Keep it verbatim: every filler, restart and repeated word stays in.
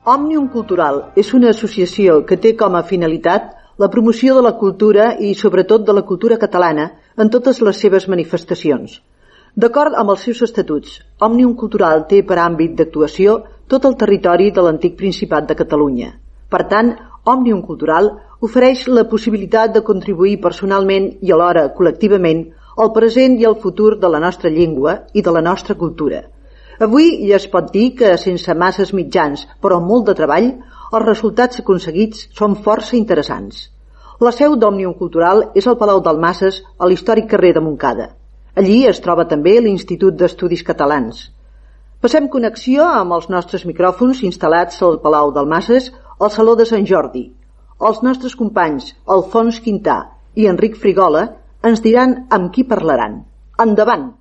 Òmnium Cultural és una associació que té com a finalitat la promoció de la cultura i, sobretot, de la cultura catalana en totes les seves manifestacions. D'acord amb els seus estatuts, Òmnium Cultural té per àmbit d'actuació tot el territori de l'antic Principat de Catalunya. Per tant, Òmnium Cultural ofereix la possibilitat de contribuir personalment i alhora col·lectivament al present i al futur de la nostra llengua i de la nostra cultura. Avui ja es pot dir que, sense masses mitjans, però amb molt de treball, els resultats aconseguits són força interessants. La seu d'Òmnium Cultural és al Palau Dalmases, a l'històric carrer de Montcada. Allí es troba també l'Institut d'Estudis Catalans. Passem connexió amb els nostres micròfons instal·lats al Palau Dalmases al Saló de Sant Jordi. Els nostres companys Alfons Quintà i Enric Frigola ens diran amb qui parlaran. Endavant!